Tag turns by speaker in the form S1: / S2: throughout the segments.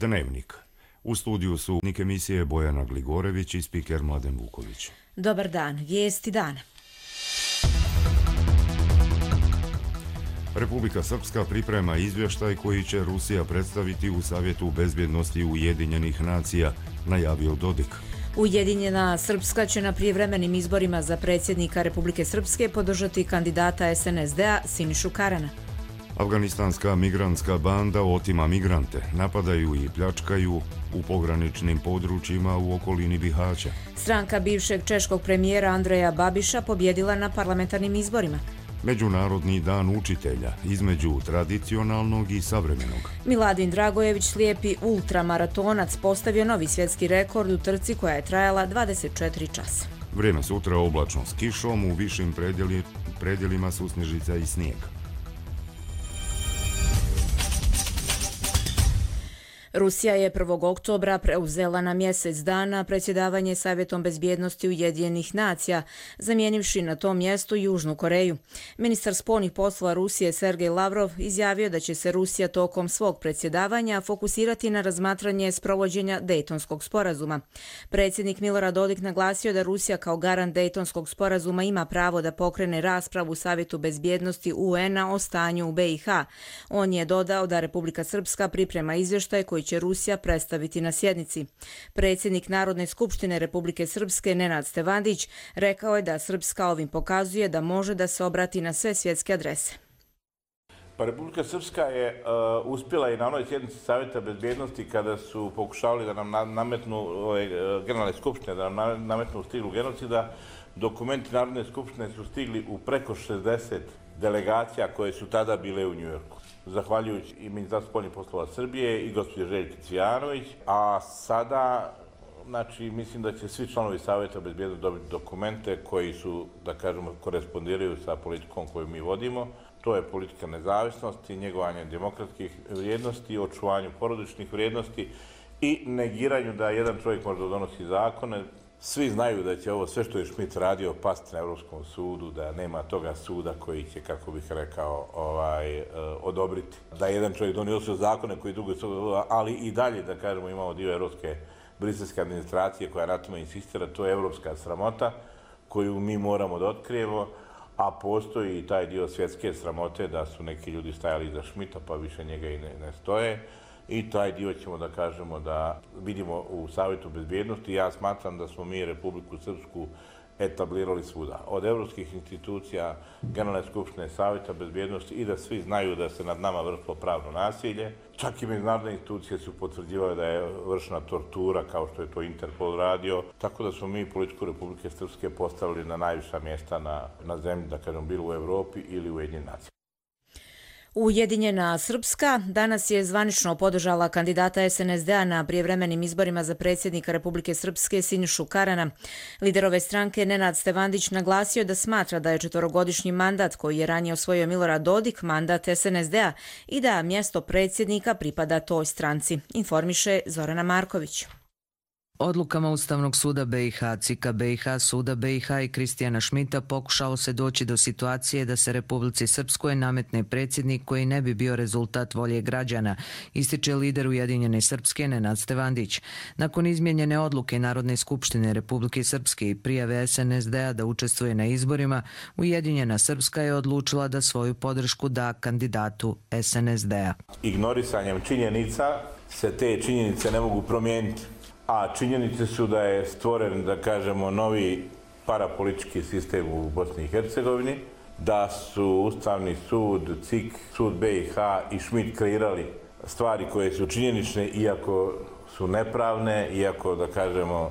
S1: Dnevnik. U studiju su emisije Bojana Gligorević i spiker Mladen Vuković.
S2: Dobar dan, vijesti dana.
S1: Republika Srpska priprema izvještaj koji će Rusija predstaviti u Savjetu bezbjednosti Ujedinjenih nacija, najavio Dodik.
S2: Ujedinjena Srpska će na prijevremenim izborima za predsjednika Republike Srpske podržati kandidata SNSD-a Sinišu Karana.
S1: Afganistanska migrantska banda otima migrante, napadaju i pljačkaju u pograničnim područjima u okolini Bihaća.
S2: Stranka bivšeg češkog premijera Andreja Babiša pobjedila na parlamentarnim izborima.
S1: Međunarodni dan učitelja, između tradicionalnog i savremenog.
S2: Miladin Dragojević, slijepi ultramaratonac, postavio novi svjetski rekord u trci koja je trajala 24 časa.
S1: Vrijeme sutra oblačno s kišom, u višim predjelima su snježica i snijeg.
S2: Rusija je 1. oktobra preuzela na mjesec dana predsjedavanje Savjetom bezbjednosti Ujedinjenih nacija, zamijenivši na tom mjestu Južnu Koreju. Ministar spoljnih poslova Rusije Sergej Lavrov izjavio da će se Rusija tokom svog predsjedavanja fokusirati na razmatranje sprovođenja Dejtonskog sporazuma. Predsjednik Milorad Dodik naglasio da Rusija kao garant Dejtonskog sporazuma ima pravo da pokrene raspravu u Savjetu bezbjednosti UN-a o stanju u BiH. On je dodao da Republika Srpska priprema izvještaj koji će Rusija predstaviti na sjednici. Predsjednik Narodne skupštine Republike Srpske Nenad Stevandić rekao je da Srpska ovim pokazuje da može da se obrati na sve svjetske adrese.
S3: Pa Republika Srpska je uspjela i na onoj sjednici Savjeta bezbjednosti kada su pokušavali da nam nametnu generalne skupštine, da nam nametnu stiglu genocida. Dokumenti Narodne skupštine su stigli u preko 60 delegacija koje su tada bile u Njujorku. Zahvaljujući i Ministarstvu spoljnih poslova Srbije i gospođe Željke Cvijanović, a sada, mislim da će svi članovi Savjeta bezbjednosti dobiti dokumente koji su, da kažemo, korespondiraju sa politikom koju mi vodimo. To je politika nezavisnosti, njegovanje demokratskih vrijednosti, očuvanju porodičnih vrijednosti i negiranju da jedan čovjek može da donosi zakone. Svi znaju da će ovo sve što je Schmidt radio pasti na Europskom sudu, da nema toga suda koji će, kako bih rekao, odobriti. Da jedan čovjek donosio zakone koji drugi su, ali i dalje, da kažemo, imamo dio europske briselske administracije koja na tome insistira. To je europska sramota koju mi moramo da otkrijemo, a postoji i taj dio svjetske sramote da su neki ljudi stajali iza Schmidta pa više njega i ne stoje. I taj dio ćemo da kažemo da vidimo u Savjetu bezbjednosti. Ja smatram da smo mi Republiku Srpsku etablirali svuda. Od evropskih institucija, Generalne skupštine, Savjeta bezbjednosti i da svi znaju da se nad nama vršilo pravno nasilje. Čak i međunarodne institucije su potvrđivale da je vršena tortura kao što je to Interpol radio. Tako da smo mi politiku Republike Srpske postavili na najviša mjesta na zemlji, da kažem, bilo u Evropi ili u Ujedinjenim nacijama.
S2: Ujedinjena Srpska danas je zvanično podržala kandidata SNSD-a na prijevremenim izborima za predsjednika Republike Srpske Sinišu Karana. Lider ove stranke Nenad Stevandić naglasio da smatra da je 4-godišnji mandat koji je ranije osvojio Milorad Dodik mandat SNSD-a i da mjesto predsjednika pripada toj stranci, informiše Zorana Marković.
S4: Odlukama Ustavnog suda BiH, CIK-a BiH, Suda BiH i Kristijana Schmidta pokušalo se doći do situacije da se Republici Srpskoj nametne predsjednik koji ne bi bio rezultat volje građana, ističe lider Ujedinjene Srpske Nenad Stevandić. Nakon izmijenjene odluke Narodne skupštine Republike Srpske i prijave SNSD-a da učestvuje na izborima, Ujedinjena Srpska je odlučila da svoju podršku da kandidatu SNSD-a.
S3: Ignorisanjem činjenica se te činjenice ne mogu promijeniti. A činjenice su da je stvoren, da kažemo, novi parapolitički sistem u Bosni i Hercegovini, da su Ustavni sud, CIK, Sud BiH i Schmidt kreirali stvari koje su činjenične, iako su nepravne, iako, da kažemo,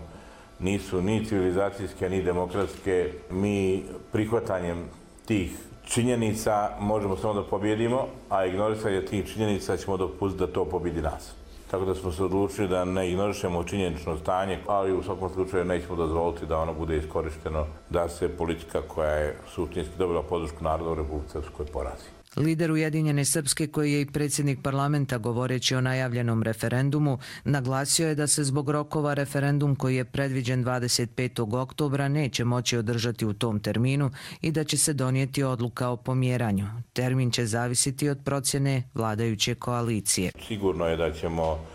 S3: nisu ni civilizacijske, ni demokratske. Mi prihvatanjem tih činjenica možemo samo da pobjedimo, a ignorisanje tih činjenica ćemo dopustiti da to pobjedi nas. Tako da smo se odlučili da ne ignorišemo činjenično stanje, ali u svakom slučaju nećemo dozvoliti da ono bude iskorišteno, da se politika koja je suštinski dobila podršku naroda u Republici Srpskoj porazi.
S4: Lider Ujedinjene Srpske, koji je i predsjednik parlamenta govoreći o najavljenom referendumu, naglasio je da se zbog rokova referendum koji je predviđen 25. oktobra neće moći održati u tom terminu i da će se donijeti odluka o pomjeranju. Termin će zavisiti od procjene vladajuće koalicije.
S3: Sigurno je da ćemo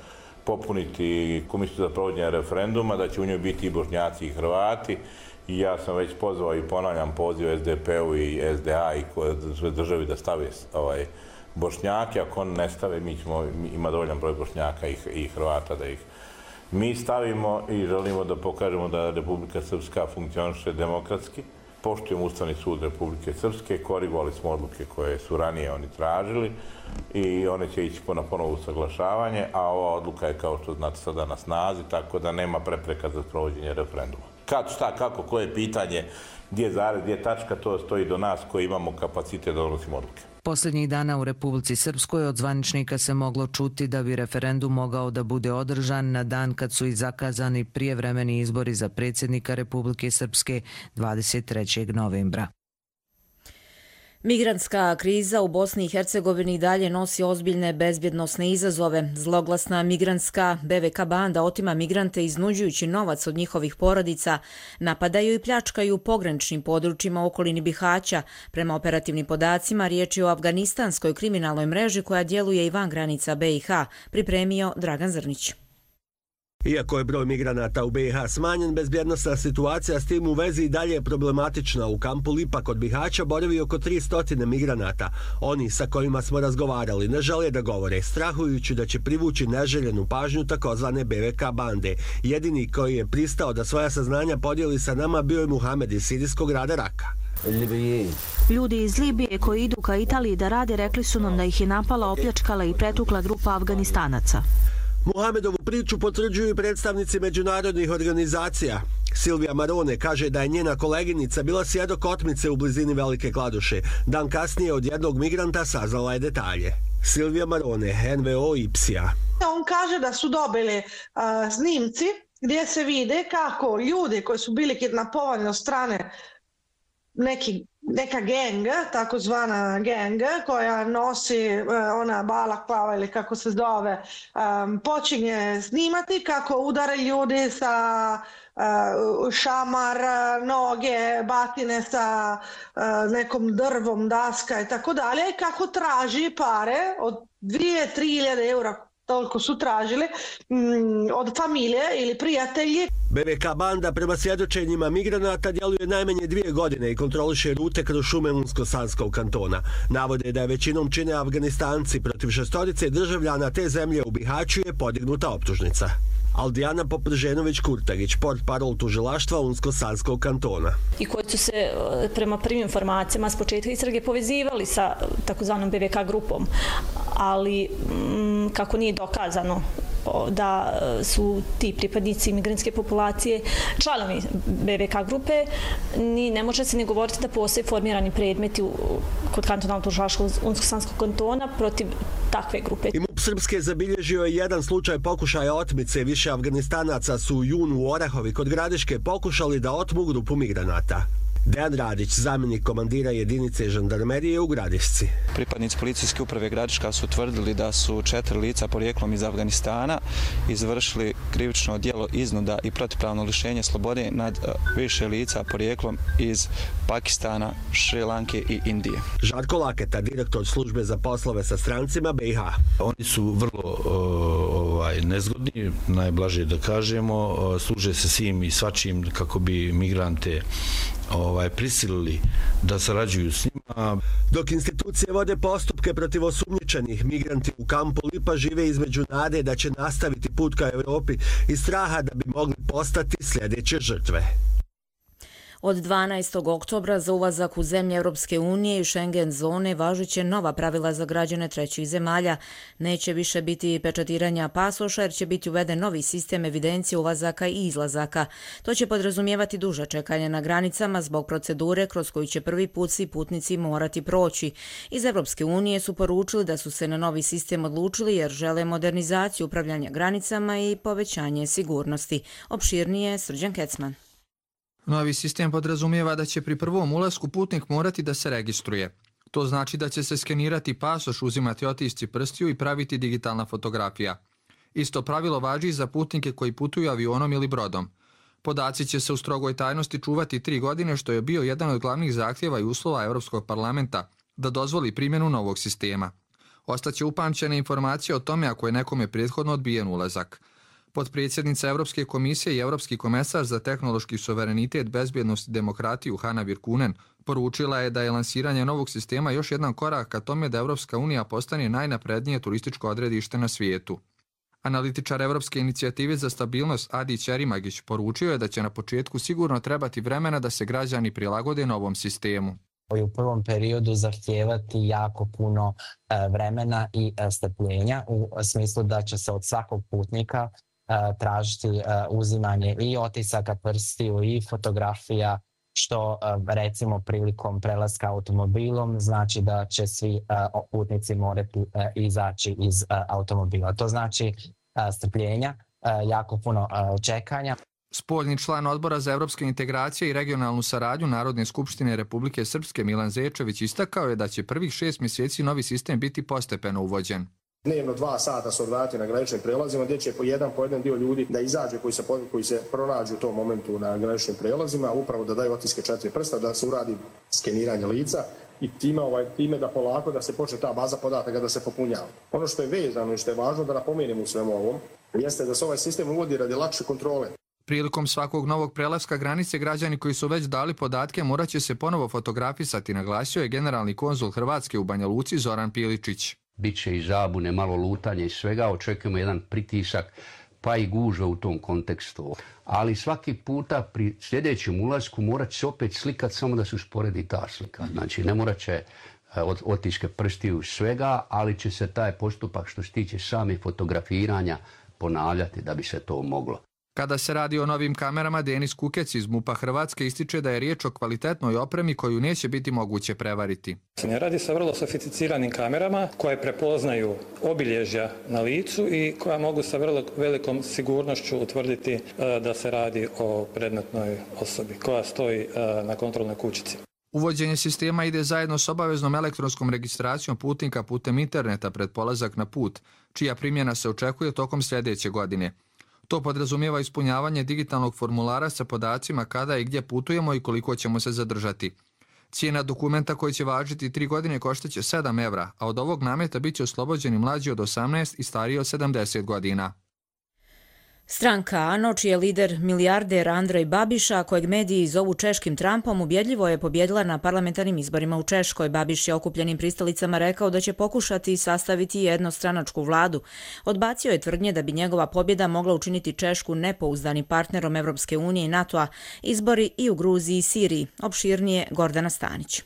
S3: popuniti komisiju za provođenje referenduma, da će u njoj biti i Bošnjaci i Hrvati. I ja sam već pozvao i ponavljam poziv SDP-u i SDA i sve državi da stave Bošnjake. Ako oni ne stave, ima dovoljan broj Bošnjaka i Hrvata da ih mi stavimo i želimo da pokažemo da Republika Srpska funkcioniše demokratski. Poštujemo Ustavni sud Republike Srpske, korigovali smo odluke koje su ranije oni tražili i one će ići na ponovo usaglašavanje, a ova odluka je, kao što znate, sada na snazi, tako da nema prepreka za provođenje referenduma. Kad, šta, kako, koje pitanje, gdje je zarez, gdje je tačka, to stoji do nas koji imamo kapacitet da donosimo odluke.
S4: Posljednjih dana u Republici Srpskoj od zvaničnika se moglo čuti da bi referendum mogao da bude održan na dan kad su i zakazani prijevremeni izbori za predsjednika Republike Srpske 23. novembra.
S2: Migrantska kriza u Bosni i Hercegovini dalje nosi ozbiljne bezbjednosne izazove. Zloglasna migrantska BVK banda otima migrante iznuđujući novac od njihovih porodica, napadaju i pljačkaju u pograničnim područjima u okolini Bihaća. Prema operativnim podacima, riječ je o afganistanskoj kriminalnoj mreži koja djeluje i van granica BiH, pripremio Dragan Zrnić.
S5: Iako je broj migranata u BiH smanjen, bezbjednosna situacija s tim u vezi i dalje je problematična. U kampu Lipa kod Bihaća boravi oko 300 migranata. Oni sa kojima smo razgovarali ne žele da govore, strahujući da će privući neželjenu pažnju takozvane BVK bande. Jedini koji je pristao da svoja saznanja podijeli sa nama bio je Muhamed iz sirijskog grada Raka.
S6: Ljudi iz Libije koji idu ka Italiji da rade rekli su nam da ih je napala, opljačkala i pretukla grupa Afganistanaca.
S5: Muhamedovu priču potvrđuju i predstavnici međunarodnih organizacija. Silvija Marone kaže da je njena koleginica bila svjedok otmice u blizini Velike Kladuše. Dan kasnije od jednog migranta saznala je detalje. Silvija Marone, NVO IPSI-a.
S7: On kaže da su dobili snimci gdje se vide kako ljudi koji su bili kidnapovani od strane neka genga, takozvana genga, koja nosi ona balaklava ili kako se zove, počinje snimati kako udare ljudi sa šamar, noge, batine sa nekom drvom, daska i tako dalje, kako traži pare od 2-3 eura, toliko su tražili, od familije ili prijatelji.
S5: BVK banda prema svjedočenjima migranata djeluje najmanje 2 godine i kontroliše rute kroz šume Unsko-Sanskog kantona. Navode da je većinom čine Afganistanci. Protiv 6 državljana te zemlje u Bihaću je podignuta optužnica. Aldijana Poprženović-Kurtagić, portparol tužilaštva Unsko-Sanskog kantona.
S8: I koji su se prema prvim informacijama s početka istrage povezivali sa takozvanom BVK grupom, ali kako nije dokazano da su ti pripadnici migrantske populacije članovi BVK grupe, ne može se ni govoriti da postoje formirani predmeti kod kantonalnog tužilaštva Unsko-Sanskog kantona protiv takve grupe.
S5: I MUP Srpske zabilježio je jedan slučaj pokušaja otmice. Više Afganistanaca su u junu u Orahovi kod Gradiške pokušali da otmu grupu migranata. Dejan Radić, zamjenik komandira jedinice žandarmerije u Gradišci.
S9: Pripadnici policijske uprave Gradiška su tvrdili da su 4 lica porijeklom iz Afganistana izvršili krivično djelo iznuda i protivpravno lišenje slobode nad više lica porijeklom iz Pakistana, Šrilanke i Indije.
S5: Žarko Laketa, direktor službe za poslove sa strancima BiH.
S10: Oni su vrlo nezgodni, najblaže da kažemo, služe se svim i svačim kako bi migrante prisilili da sarađuju s njima.
S5: Dok institucije vode postupke protiv osumnjičenih, migranti u kampu Lipa žive između nade da će nastaviti put ka Evropi i straha da bi mogli postati sljedeće žrtve.
S2: Od 12. oktobra za ulazak u zemlje Europske unije i Schengen zone važeće nova pravila za građane trećih zemalja. Neće više biti pečatiranja pasoša jer će biti uveden novi sistem evidencije ulazaka i izlazaka. To će podrazumijevati duže čekanje na granicama zbog procedure kroz koju će prvi put svi putnici morati proći. Iz Europske unije su poručili da su se na novi sistem odlučili jer žele modernizaciju upravljanja granicama i povećanje sigurnosti. Opširnije Srđan Kecman.
S11: Novi sistem podrazumijeva da će pri prvom ulasku putnik morati da se registruje. To znači da će se skenirati pasoš, uzimati otisci prstiju i praviti digitalna fotografija. Isto pravilo važi i za putnike koji putuju avionom ili brodom. Podaci će se u strogoj tajnosti čuvati 3 godine, što je bio jedan od glavnih zahtjeva i uslova Europskog parlamenta da dozvoli primjenu novog sistema. Ostaće upamćene informacije o tome ako je nekome prethodno odbijen ulazak. Potpredsjednica Evropske komisije i Evropski komesar za tehnološki suverenitet, bezbjednost i demokratiju Hanna Virkunen poručila je da je lansiranje novog sistema još jedan korak ka tome da Evropska unija postane najnaprednije turističko odredište na svijetu. Analitičar Evropske inicijative za stabilnost Adi Ćerimagić poručio je da će na početku sigurno trebati vremena da se građani prilagode novom sistemu.
S12: U prvom periodu zahtijevati jako puno vremena i strpljenja u smislu da će se od svakog putnika tražiti uzimanje i otisaka prstiju i fotografija, što recimo prilikom prelaska automobilom znači da će svi putnici morati izaći iz automobila. To znači strpljenja, jako puno čekanja.
S11: Spoljni član Odbora za evropske integracije i regionalnu saradnju Narodne skupštine Republike Srpske Milan Zečević istakao je da će prvih 6 mjeseci novi sistem biti postepeno uvođen.
S13: Dnevno 2 sata se odvratiti na graničnim prelazima gdje će po jedan dio ljudi da izađe koji se pronađu u tom momentu na graničnim prelazima, upravo da daju otiske 4 prsta, da se uradi skeniranje lica i time da polako da se počne ta baza podataka da se popunjava. Ono što je vezano i što je važno da napomenemo u svemu ovom jeste da se ovaj sistem uvodi radi lakše kontrole.
S11: Prilikom svakog novog prelaska granice građani koji su već dali podatke morat će se ponovo fotografisati, naglasio je generalni konzul Hrvatske u Banja Luci Zoran Piličić.
S14: Biće i zabune, malo lutanje i svega, očekujemo jedan pritisak pa i gužve u tom kontekstu. Ali svaki puta pri sljedećem ulasku morat će se opet slikati samo da se usporedi ta slika. Znači ne morat će otiske prstiju svega, ali će se taj postupak što se tiče samih fotografiranja ponavljati da bi se to moglo.
S11: Kada se radi o novim kamerama, Denis Kukec iz MUP-a Hrvatske ističe da je riječ o kvalitetnoj opremi koju neće biti moguće prevariti.
S15: Radi se o vrlo sofisticiranim kamerama koje prepoznaju obilježja na licu i koja mogu sa vrlo velikom sigurnošću utvrditi da se radi o predmetnoj osobi koja stoji na kontrolnoj kućici.
S11: Uvođenje sistema ide zajedno s obaveznom elektronskom registracijom putnika putem interneta pred polazak na put, čija primjena se očekuje tokom sljedeće godine. To podrazumijeva ispunjavanje digitalnog formulara sa podacima kada i gdje putujemo i koliko ćemo se zadržati. Cijena dokumenta koji će važiti 3 godine koštaće 7 evra, a od ovog nameta bit će oslobođeni mlađi od 18 i stariji od 70 godina.
S2: Stranka ANO, čiji je lider milijarder Andrej Babiša, kojeg mediji zovu češkim Trumpom, ubjedljivo je pobjedila na parlamentarnim izborima u Češkoj. Babiš je okupljenim pristalicama rekao da će pokušati sastaviti jednostranačku vladu. Odbacio je tvrdnje da bi njegova pobjeda mogla učiniti Češku nepouzdanim partnerom Evropske unije i NATO-a. Izbori i u Gruziji i Siriji. Opširnije Gordana Stanić.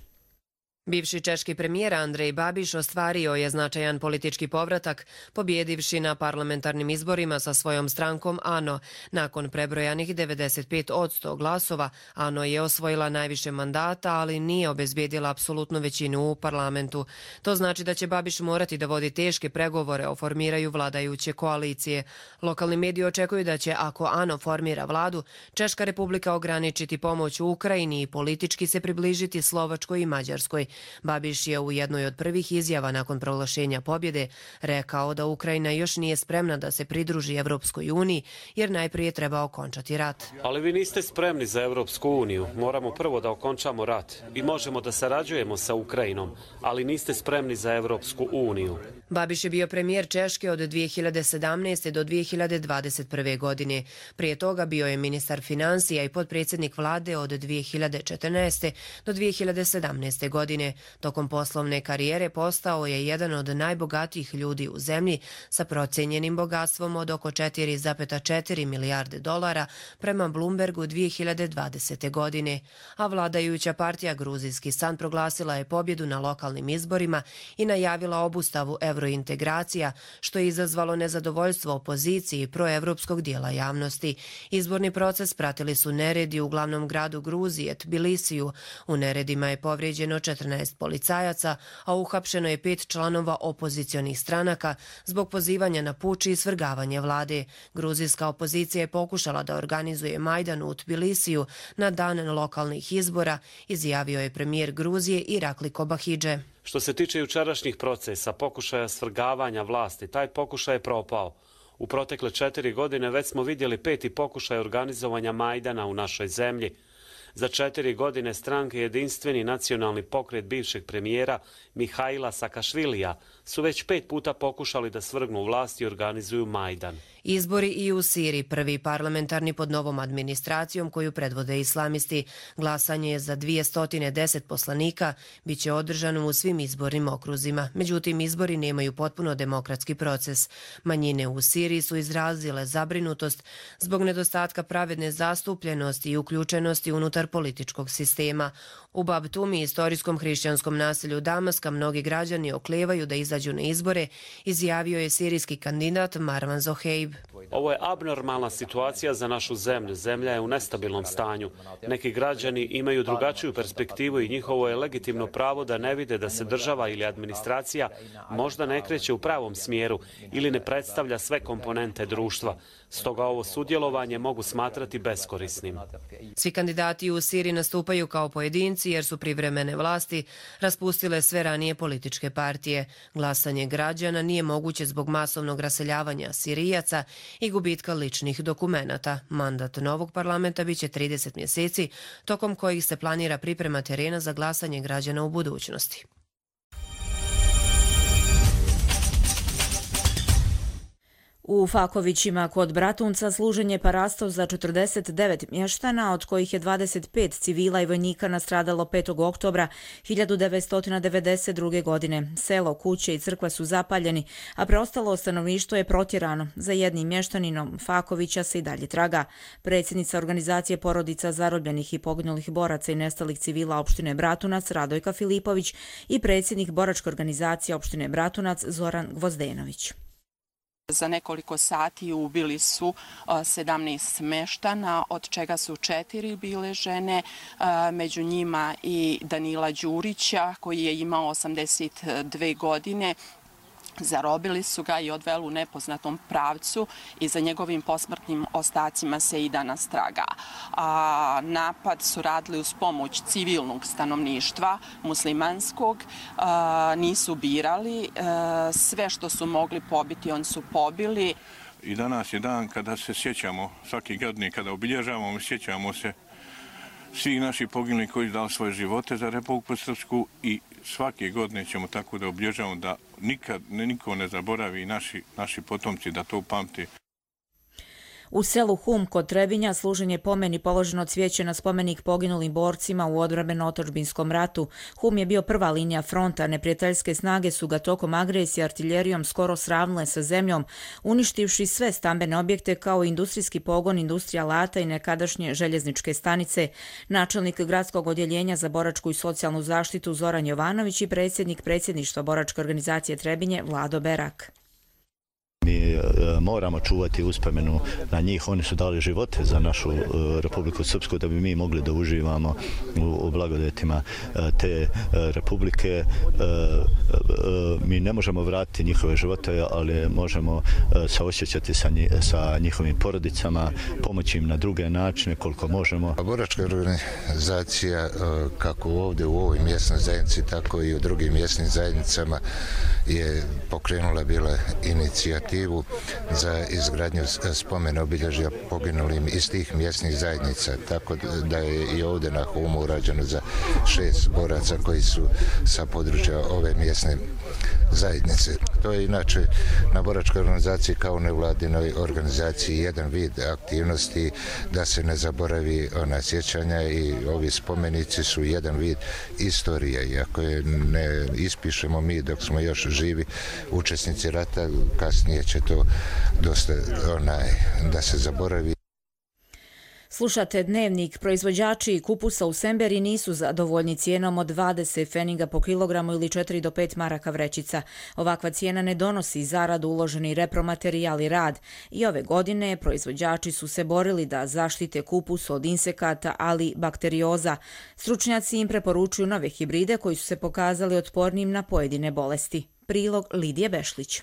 S16: Bivši češki premijer Andrej Babiš ostvario je značajan politički povratak, pobjedivši na parlamentarnim izborima sa svojom strankom ANO. Nakon prebrojanih 95% glasova, ANO je osvojila najviše mandata, ali nije obezbijedila apsolutnu većinu u parlamentu. To znači da će Babiš morati da vodi teške pregovore o formiraju vladajuće koalicije. Lokalni mediji očekuju da će, ako ANO formira vladu, Češka republika ograničiti pomoć u Ukrajini i politički se približiti Slovačkoj i Mađarskoj. Babiš je u jednoj od prvih izjava nakon proglašenja pobjede rekao da Ukrajina još nije spremna da se pridruži Evropskoj uniji jer najprije treba okončati rat.
S17: Ali vi niste spremni za Evropsku uniju. Moramo prvo da okončamo rat i možemo da sarađujemo sa Ukrajinom, ali niste spremni za Evropsku uniju.
S16: Babiš je bio premijer Češke od 2017. do 2021. godine. Prije toga bio je ministar financija i potpredsjednik vlade od 2014. do 2017. godine. Tokom poslovne karijere postao je jedan od najbogatijih ljudi u zemlji sa procijenjenim bogatstvom od oko 4,4 milijarde dolara prema Bloombergu 2020. godine. A vladajuća partija Gruzijski san proglasila je pobjedu na lokalnim izborima i najavila obustavu evrointegracija, što je izazvalo nezadovoljstvo opoziciji i proevropskog dijela javnosti. Izborni proces pratili su neredi u glavnom gradu Gruzije, Tbilisiju. U neredima je povrijeđeno 14 policajaca, a uhapšeno je 5 članova opozicionih stranaka zbog pozivanja na puč i svrgavanje vlade. Gruzijska opozicija je pokušala da organizuje Majdan u Tbilisiju na dan lokalnih izbora, izjavio je premijer Gruzije Irakli Kobahidže.
S17: Što se tiče jučerašnjih procesa, pokušaja svrgavanja vlasti, taj pokušaj je propao. U protekle 4 godine već smo vidjeli 5. pokušaj organizovanja Majdana u našoj zemlji. Za 4 godine stranke Jedinstveni nacionalni pokret bivšeg premijera Mihaila Sakašvilija su već 5 puta pokušali da svrgnu vlast i organizuju Majdan.
S16: Izbori i u Siriji, prvi parlamentarni pod novom administracijom koju predvode islamisti. Glasanje za 210 poslanika biće održano u svim izbornim okruzima. Međutim, izbori nemaju potpuno demokratski proces. Manjine u Siriji su izrazile zabrinutost zbog nedostatka pravedne zastupljenosti i uključenosti unutar političkog sistema. U Babtumi, istorijskom hrišćanskom naselju Damaska, mnogi građani oklevaju da izađu na izbore, izjavio je sirijski kandidat Marwan Zoheib.
S17: Ovo je abnormalna situacija za našu zemlju. Zemlja je u nestabilnom stanju. Neki građani imaju drugačiju perspektivu i njihovo je legitimno pravo da ne vide da se država ili administracija možda ne kreće u pravom smjeru ili ne predstavlja sve komponente društva. Stoga ovo sudjelovanje mogu smatrati beskorisnim.
S16: Svi kandidati u Siriji nastupaju kao pojedinci jer su privremene vlasti raspustile sve ranije političke partije. Glasanje građana nije moguće zbog masovnog raseljavanja Sirijaca i gubitka ličnih dokumenata. Mandat novog parlamenta biće 30 mjeseci, tokom kojih se planira priprema terena za glasanje građana u budućnosti.
S2: U Fakovićima kod Bratunca služen je parasto za 49 mještana, od kojih je 25 civila i vojnika nastradalo 5. oktobra 1992. godine. Selo, kuće i crkva su zapaljeni, a preostalo stanovništvo je protjerano. Za jednim mještaninom Fakovića se i dalje traga. Predsjednica organizacije porodica zarobljenih i poginulih boraca i nestalih civila opštine Bratunac Radojka Filipović i predsjednik boračke organizacije opštine Bratunac Zoran Gvozdenović.
S18: Za nekoliko sati ubili su 17 meštana, od čega su 4 bile žene, među njima i Danila Đurića koji je imao 82 godine. Zarobili su ga i odveli u nepoznatom pravcu i za njegovim posmrtnim ostacima se i danas traga. Napad su radili uz pomoć civilnog stanovništva, muslimanskog, nisu birali, sve što su mogli pobiti, oni su pobili.
S19: I danas je dan kada se sjećamo, svaki godine kada obilježavamo, sjećamo se svih naših poginulih koji su dali svoje živote za Republiku Srpsku i svake godine ćemo tako da obilježavamo da nikad niko ne zaboravi naši potomci da to pamti.
S2: U selu Hum kod Trebinja služen je pomen i položeno cvijeće na spomenik poginulim borcima u odbrambeno-otadžbinskom ratu. Hum je bio prva linija fronta, neprijateljske snage su ga tokom agresije artiljerijom skoro sravnile sa zemljom, uništivši sve stambene objekte kao industrijski pogon, industrija alata i nekadašnje željezničke stanice. Načelnik gradskog odjeljenja za boračku i socijalnu zaštitu Zoran Jovanović i predsjednik predsjedništva boračke organizacije Trebinje Vlado Berak.
S20: Mi moramo čuvati uspomenu na njih, oni su dali živote za našu Republiku Srpsku da bi mi mogli da uživamo u blagodetima te republike. Mi ne možemo vratiti njihove živote, ali možemo saosjećati sa njihovim porodicama, pomoći im na druge načine koliko možemo.
S21: Boračka organizacija kako ovdje u ovoj mjesnoj zajednici, tako i u drugim mjesnim zajednicama je pokrenula bila inicijativu za izgradnju spomena obilježja poginulim iz tih mjesnih zajednica. Tako da je i ovdje na Humu urađeno za 6 boraca koji su sa područja ove mjesne zajednice. To je inače na boračkoj organizaciji kao nevladinoj organizaciji jedan vid aktivnosti da se ne zaboravi ona sjećanja i ovi spomenici su jedan vid istorije. I ako je ne ispišemo mi dok smo još živi učesnici rata, kasnije će to dosta da se zaboravi.
S2: Slušate Dnevnik. Proizvođači kupusa u Semberi nisu zadovoljni cijenom od 20 pfeniga po kilogramu ili 4 do 5 maraka vrećica. Ovakva cijena ne donosi zaradu, uloženi repromaterijal i rad. I ove godine proizvođači su se borili da zaštite kupus od insekata, ali bakterioza. Stručnjaci im preporučuju nove hibride koji su se pokazali otpornim na pojedine bolesti. Prilog Lidije Bešlić.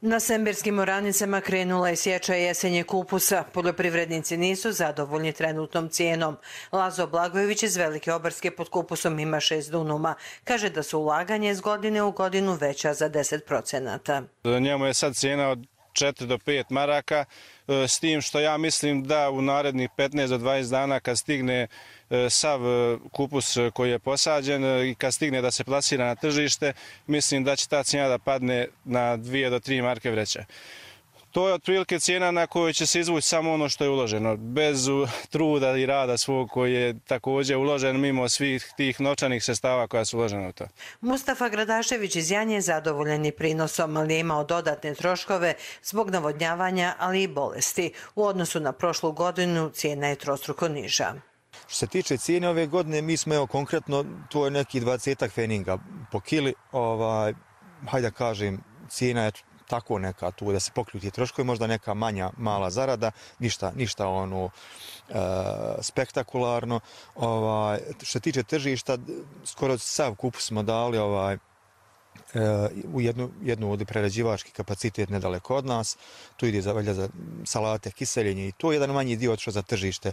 S22: Na semberskim oranicama krenula je sječa jesenje kupusa. Poljoprivrednici nisu zadovoljni trenutnom cijenom. Lazo Blagojević iz Velike Obarske pod kupusom ima 6 dunuma. Kaže da su ulaganje iz godine u godinu veća za 10%.
S23: Njemu je sad cijena od
S1: 4 do 5 maraka, s tim što ja mislim da u narednih 15 do 20 dana kad stigne sav kupus koji je posađen i kad stigne da se plasira na tržište, mislim da će ta cijena da padne na 2 do 3 marke vreća. To je otprilike cijena na kojoj će se izvući samo ono što je uloženo, bez truda i rada svog koji je također uložen mimo svih tih novčanih sredstava koja su uložena u to.
S22: Mustafa Gradašević iz Janje je zadovoljen prinosom, ali je imao dodatne troškove zbog navodnjavanja, ali i bolesti. U odnosu na prošlu godinu cijena je trostruko niža.
S3: Što se tiče cijene ove godine, mi smo evo konkretno, to je neki 20 feninga po kili, hajde da kažem, cijena je tako neka tu da se pokriju ti troškovi, možda neka mala zarada, ništa ono spektakularno. Što se tiče tržišta, skoro sav kupus smo dali u jednu od prerađivački kapacitet nedaleko od nas. Tu ide za salate, kiseljenje i to je jedan manji dio otišao za tržište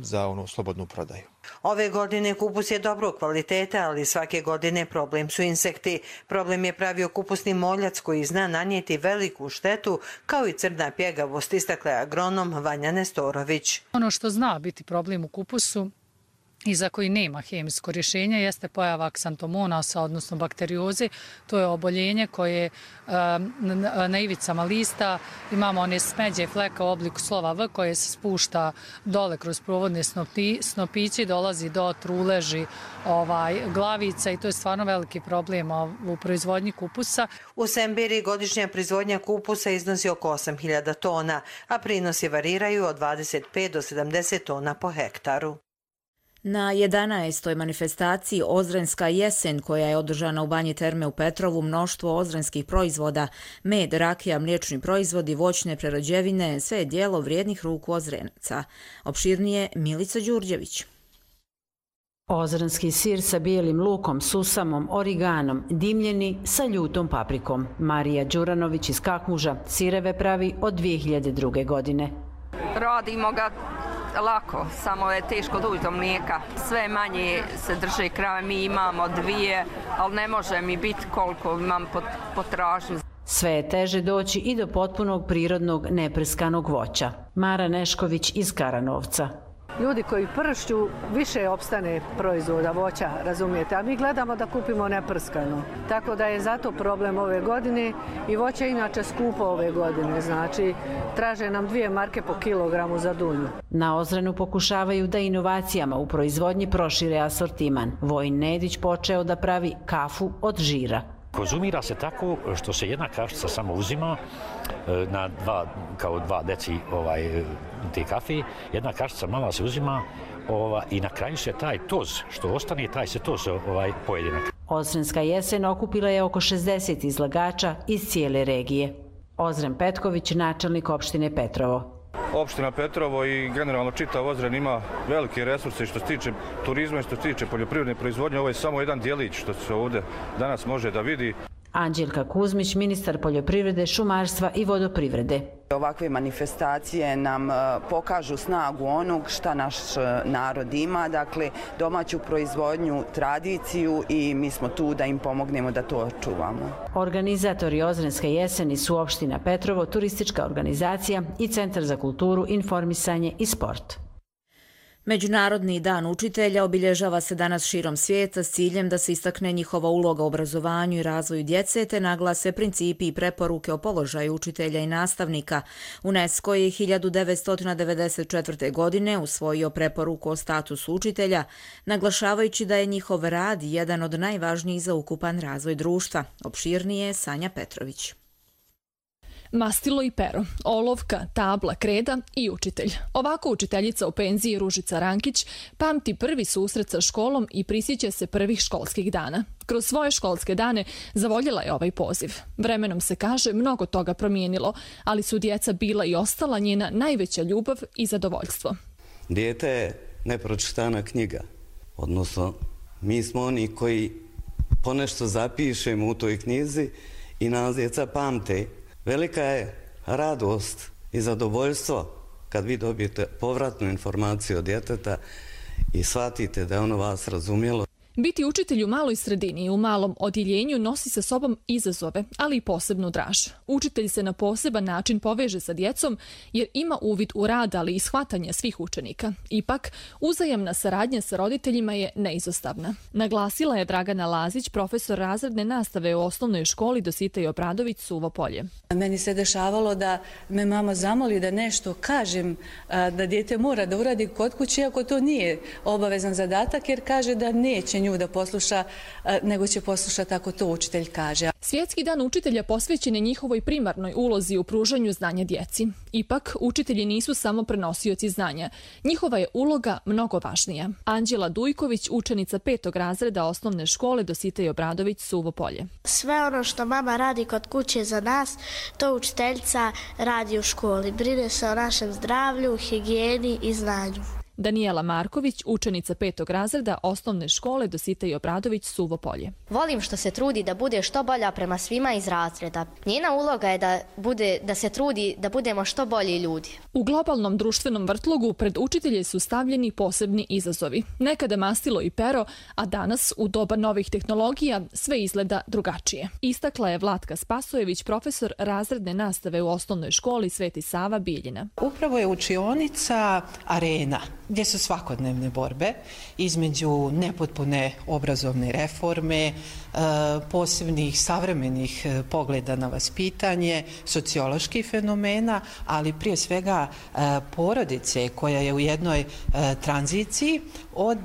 S3: za ono slobodnu prodaju.
S22: Ove godine kupus je dobrog kvaliteta, ali svake godine problem su insekti. Problem je pravio kupusni moljac koji zna nanijeti veliku štetu, kao i crna pjegavost, istakla je agronom Vanja Nestorović.
S23: Ono što zna biti problem u kupusu i za koji nema hemijsko rješenje jeste pojava aksantomonasa, odnosno bakterioze. To je oboljenje koje na ivicama lista imamo one smeđe fleka u obliku slova V koje se spušta dole kroz provodne snopiće, dolazi do truleži glavica i to je stvarno veliki problem u proizvodnji kupusa.
S22: U Sembiri godišnja proizvodnja kupusa iznosi oko 8.000 tona, a prinosi variraju od 25 do 70 tona po hektaru.
S2: Na 11. manifestaciji Ozrenska jesen, koja je održana u Banji Terme u Petrovu, mnoštvo ozrenskih proizvoda, med, rakija, mliječni proizvodi, voćne prerađevine, sve je djelo vrijednih ruku Ozrenaca. Opširnije Milica Đurđević.
S24: Ozrenski sir sa bijelim lukom, susamom, origanom, dimljeni sa ljutom paprikom. Marija Đuranović iz Kakmuža sireve pravi od 2002. godine.
S25: Radimo ga lako, samo je teško doći do mlijeka. Sve manje se drže krave, mi imamo 2, ali ne može mi biti koliko imam potražnju.
S24: Sve je teže doći i do potpunog prirodnog neprskanog voća. Mara Nešković iz Karanovca.
S26: Ljudi koji pršću, više opstane proizvoda voća, razumijete, a mi gledamo da kupimo neprskano. Tako da je zato problem ove godine i voće je inače skupo ove godine, znači traže nam 2 marke po kilogramu za dunju.
S24: Na Ozrenu pokušavaju da inovacijama u proizvodnji prošire asortiman. Vojin Nedić počeo da pravi kafu od žira.
S27: Konzumira se tako što se jedna kašica samo uzima na 2 deci te kafe, jedna kašica mala se uzima i na kraju se taj toz što ostane, taj se toz pojede.
S24: Ozrenska jesen okupila je oko 60 izlagača iz cijele regije. Ozren Petković, načelnik opštine Petrovo.
S28: Opština Petrovo i generalno čitav Ozren ima velike resurse što se tiče turizma i što se tiče poljoprivredne proizvodnje. Ovo je samo jedan dijelić što se ovdje danas može da vidi.
S24: Anđelka Kuzmić, ministar poljoprivrede, šumarstva i vodoprivrede.
S29: Ovakve manifestacije nam pokažu snagu onog šta naš narod ima, dakle domaću proizvodnju, tradiciju i mi smo tu da im pomognemo da to očuvamo.
S24: Organizatori Ozrenske jeseni su opština Petrovo, turistička organizacija i Centar za kulturu, informisanje i sport.
S2: Međunarodni dan učitelja obilježava se danas širom svijeta s ciljem da se istakne njihova uloga u obrazovanju i razvoju djece te naglase principi i preporuke o položaju učitelja i nastavnika. UNESCO je 1994. godine usvojio preporuku o statusu učitelja, naglašavajući da je njihov rad jedan od najvažnijih za ukupan razvoj društva. Opširnije Sanja Petrović.
S30: Mastilo i pero, olovka, tabla, kreda i učitelj. Ovako učiteljica u penziji Ružica Rankić pamti prvi susret sa školom i prisjeća se prvih školskih dana. Kroz svoje školske dane zavoljela je ovaj poziv. Vremenom se kaže mnogo toga promijenilo, ali su djeca bila i ostala njena najveća ljubav i zadovoljstvo.
S31: Dijete je nepročitana knjiga, odnosno mi smo oni koji ponešto zapišemo u toj knjizi i nas djeca pamte. Velika je radost i zadovoljstvo kad vi dobijete povratnu informaciju od djeteta i shvatite da je ono vas razumjelo.
S30: Biti učitelj u maloj sredini i u malom odjeljenju nosi sa sobom izazove, ali i posebnu draž. Učitelj se na poseban način poveže sa djecom jer ima uvid u rad, ali i shvatanje svih učenika. Ipak, uzajamna saradnja sa roditeljima je neizostavna. Naglasila je Dragana Lazić, profesor razredne nastave u osnovnoj školi Dositej Obradović, Suvo Polje.
S4: Meni se dešavalo da me mama zamoli da nešto kažem, da dijete mora da uradi kod kuće, iako to nije obavezan zadatak, jer kaže da neće nju da posluša, nego će poslušati ako to učitelj kaže.
S30: Svjetski dan učitelja posvećen je njihovoj primarnoj ulozi u pružanju znanja djeci. Ipak, učitelji nisu samo prenosioci znanja. Njihova je uloga mnogo važnija. Anđela Dujković, učenica 5. razreda osnovne škole Dositej Obradović, Suvo Polje.
S5: Sve ono što mama radi kod kuće za nas, to učiteljica radi u školi. Brine se o našem zdravlju, higijeni i znanju.
S30: Daniela Marković, učenica 5. razreda osnovne škole Dositej Obradović, Suvo Polje.
S6: Volim što se trudi da bude što bolja prema svima iz razreda. Njena uloga je da se trudi da budemo što bolji ljudi.
S30: U globalnom društvenom vrtlogu pred učitelje su stavljeni posebni izazovi. Nekada mastilo i pero, a danas, u doba novih tehnologija, sve izgleda drugačije. Istakla je Vlatka Spasojević, profesor razredne nastave u osnovnoj školi Sveti Sava Bijeljina.
S7: Upravo je učionica arena gdje su svakodnevne borbe između nepotpune obrazovne reforme, posebnih savremenih pogleda na vaspitanje, socioloških fenomena, ali prije svega porodice koja je u jednoj tranziciji od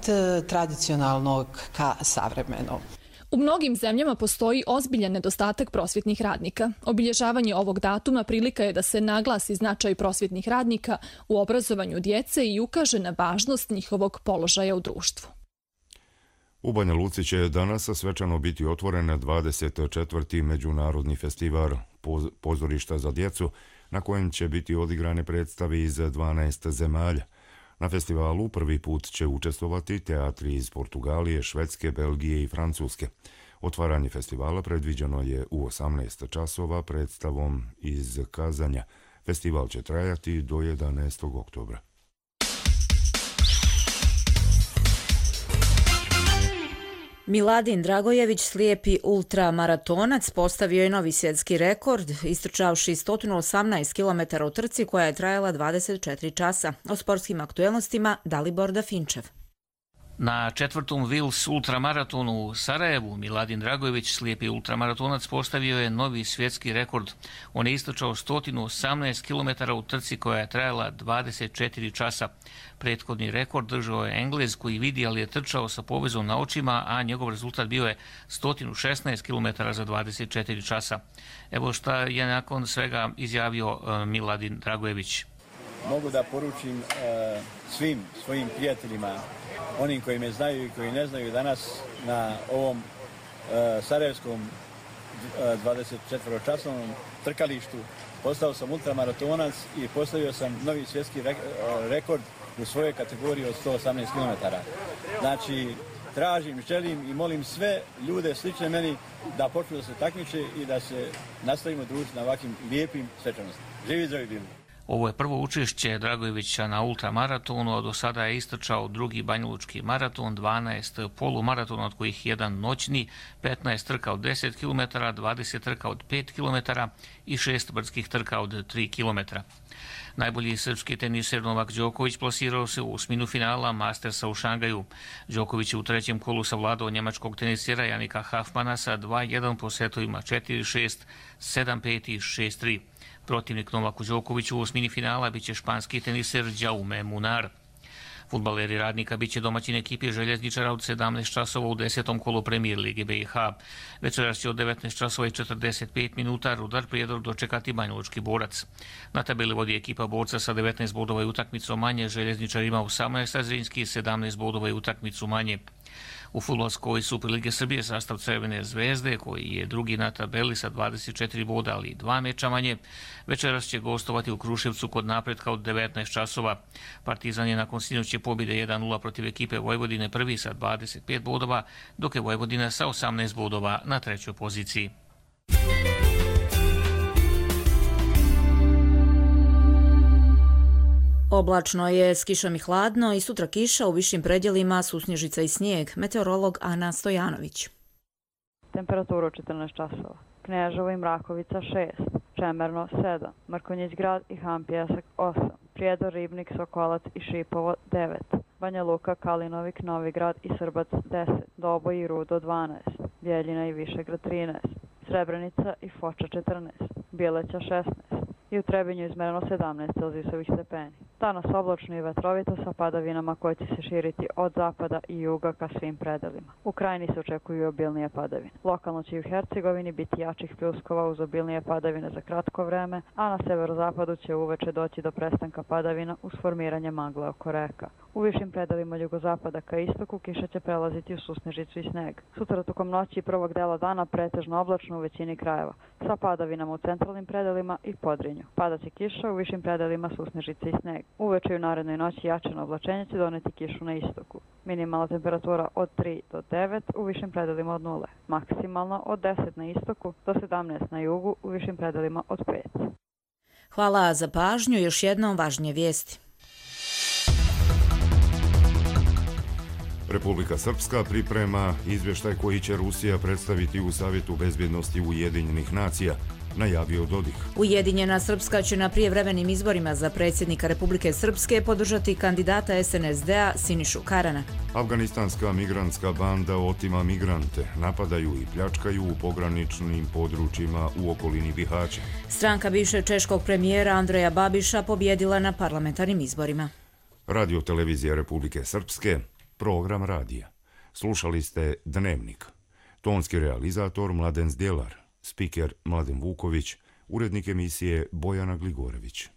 S7: tradicionalnog ka savremenom.
S30: U mnogim zemljama postoji ozbiljan nedostatak prosvjetnih radnika. Obilježavanje ovog datuma prilika je da se naglasi značaj prosvjetnih radnika u obrazovanju djece i ukaže na važnost njihovog položaja u društvu.
S8: U Banja Luci će danas svečano biti otvoren 24. međunarodni festival pozorišta za djecu, na kojem će biti odigrane predstave iz 12 zemalja. Na festivalu prvi put će učestvovati teatri iz Portugalije, Švedske, Belgije i Francuske. Otvaranje festivala predviđeno je u 18 časova predstavom iz Kazanja. Festival će trajati do 11. oktobra.
S2: Miladin Dragojević, slijepi ultramaratonac, postavio je novi svjetski rekord, istrčavši 118 km u trci koja je trajala 24 časa. O sportskim aktuelnostima Dalibor Dafinčev.
S8: Na 4. Vils ultramaratonu u Sarajevu Miladin Dragojević, slijepi ultramaratonac, postavio je novi svjetski rekord. On je istrčao 118 km u trci koja je trajala 24 časa. Prethodni rekord držao je Englez koji vidi, ali je trčao sa povezom na očima, a njegov rezultat bio je 116 km za 24 časa. Evo šta je nakon svega izjavio Miladin Dragojević.
S9: Mogu da poručim svim svojim prijateljima, onim koji me znaju i koji ne znaju, danas na ovom sarajevskom 24-časovnom trkalištu postao sam ultramaratonac i postavio sam novi svjetski rekord u svojoj kategoriji od 118 km. Znači, tražim, želim i molim sve ljude slične meni da počnu da se takmiče i da se nastavimo družiti na ovakvim lijepim svečanostima. Živi zdravi bili!
S8: Ovo je prvo učešće Dragojevića na ultramaratonu, a do sada je istrčao drugi banjalučki maraton, 12 polumaratona, od kojih jedan noćni, 15 trka od 10 km, 20 trka od 5 km i 6 brdskih trka od 3 km. Najbolji srpski teniser Novak Đoković plasirao se u osminu finala Mastersa u Šangaju. Đoković je u trećem kolu savladao njemačkog tenisera Janika Hafmana sa 2-1 po setovima 4-6, 7-5 i 6-3. Protivnik Novaku Đokoviću u osmini finala biće španski teniser Jaume Munar. Fudbaleri Radnika biće domaćin ekipi Željezničara od 17 časova u 10. kolu Premier Lige BiH. Večeras će od 19 časova i 45 minuta Rudar Prijedor dočekati Banjalučki Borac. Na tabeli vodi ekipa Borca sa 19 bodova i utakmicu manje, Željezničar ima 18, a Zrinski 17 bodova i utakmicu manje. U fudbalskoj Superlige Srbije sastav Crvene zvezde, koji je drugi na tabeli sa 24 boda, ali 2 meča manje, večeras će gostovati u Kruševcu kod Napretka od 19 časova. Partizan je nakon sinoćne pobjede 1-0 protiv ekipe Vojvodine prvi sa 25 bodova, dok je Vojvodina sa 18 bodova na trećoj poziciji.
S2: Oblačno je s kišom i hladno i sutra kiša, u višim predjelima susnježica i snijeg. Meteorolog Ana Stojanović.
S10: Temperaturu 14 časova. Kneževo i Mrakovica 6, Čemerno 7, Mrkonjić grad i Han Pjesak 8, Prijedor, Ribnik, Sokolac i Šipovo 9, Banja Luka, Kalinovik, Novigrad i Srbac 10, Doboj i Rudo 12, Bjeljina i Višegrad 13, Srebrenica i Foča 14, Bjeleća 16 i u Trebinju izmereno 17 celzijusovih stepeni. Danas oblačno i vetrovito sa padavinama koje će se širiti od zapada i juga ka svim predelima. U krajini se očekuju obilnije padavine. Lokalno će i u Hercegovini biti jačih pljuskova uz obilnije padavine za kratko vreme, a na severozapadu će uveče doći do prestanka padavina uz formiranje magle oko reka. U višim predelima jugozapada ka istoku kiša će prelaziti u susnežicu i sneg. Sutra tokom noći i prvog dela dana pretežno oblačno u većini krajeva, sa padavinama u centralnim predelima i Podrinju. Padaće kiša u višim predelima susnežice i sneg. Uveče i u narednoj noći jačano oblačenje će doneti kišu na istoku. Minimalna temperatura od 3 do 9, u višim predelima od 0. Maksimalna od 10 na istoku do 17 na jugu, u višim predelima od 5.
S2: Hvala za pažnju, još jednom važnije vijesti.
S11: Republika Srpska priprema izvještaj koji će Rusija predstaviti u Savjetu bezbjednosti Ujedinjenih nacija, najavio Dodik.
S2: Ujedinjena Srpska će na prijevremenim izborima za predsjednika Republike Srpske podržati kandidata SNSD-a Sinišu Karana.
S11: Afganistanska migrantska banda otima migrante, napadaju i pljačkaju u pograničnim područjima u okolini Bihaća.
S2: Stranka bivšeg češkog premijera Andreja Babiša pobjedila na parlamentarnim izborima.
S11: Radio televizija Republike Srpske, program radija. Slušali ste Dnevnik. Tonski realizator Mladen Zdjelar, spiker Mladen Vuković, urednik emisije Bojana Gligorević.